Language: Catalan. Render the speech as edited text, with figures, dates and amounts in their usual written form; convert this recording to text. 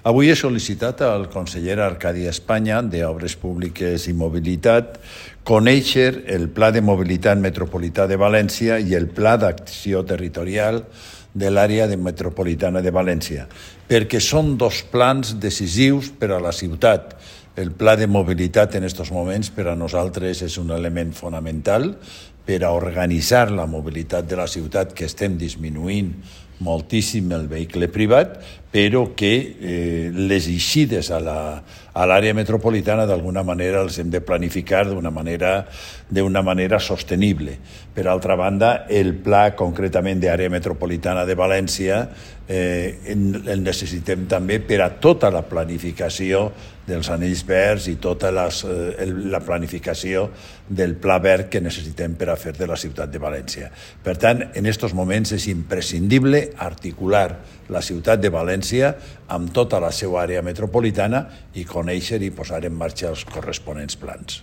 Avui he sol·licitat al conseller Arcadi Espanya d'Obres Públiques i Mobilitat conèixer el Pla de Mobilitat Metropolità de València i el Pla d'Acció Territorial de l'àrea metropolitana de València, perquè són dos plans decisius per a la ciutat. El pla de mobilitat en aquests moments per a nosaltres és un element fonamental per a organitzar la mobilitat de la ciutat, que estem disminuint moltíssim el vehicle privat, però que les eixides a l'àrea metropolitana d'alguna manera els hem de planificar d'una manera sostenible. Per altra banda, el pla concretament d'àrea metropolitana de València el necessitem també per a tota la planificació dels anells verds i tota la planificació del pla verd que necessitem per a fer de la ciutat de València. Per tant, en aquests moments és imprescindible articular la ciutat de València amb tota la seva àrea metropolitana i conèixer i posar en marxa els corresponents plans.